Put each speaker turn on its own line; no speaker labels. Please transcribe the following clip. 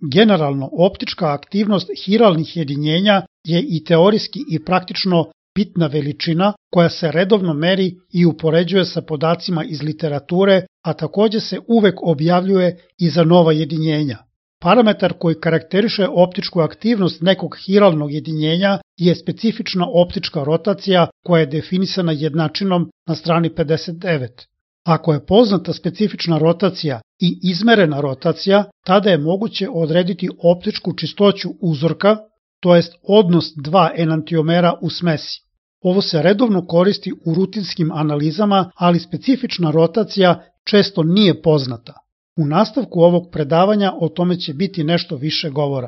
Generalno, optička aktivnost hiralnih jedinjenja je i teorijski i praktično bitna veličina koja se redovno meri i upoređuje sa podacima iz literature, a takođe se uvek objavljuje i za nova jedinjenja. Parametar koji karakteriše optičku aktivnost nekog hiralnog jedinjenja je specifična optička rotacija koja je definisana jednačinom na strani 59. Ako je poznata specifična rotacija i izmerena rotacija, tada je moguće odrediti optičku čistoću uzorka, to jest odnos dva enantiomera u smesi. Ovo se redovno koristi u rutinskim analizama, ali specifična rotacija često nije poznata. U nastavku ovog predavanja o tome će biti nešto više govora.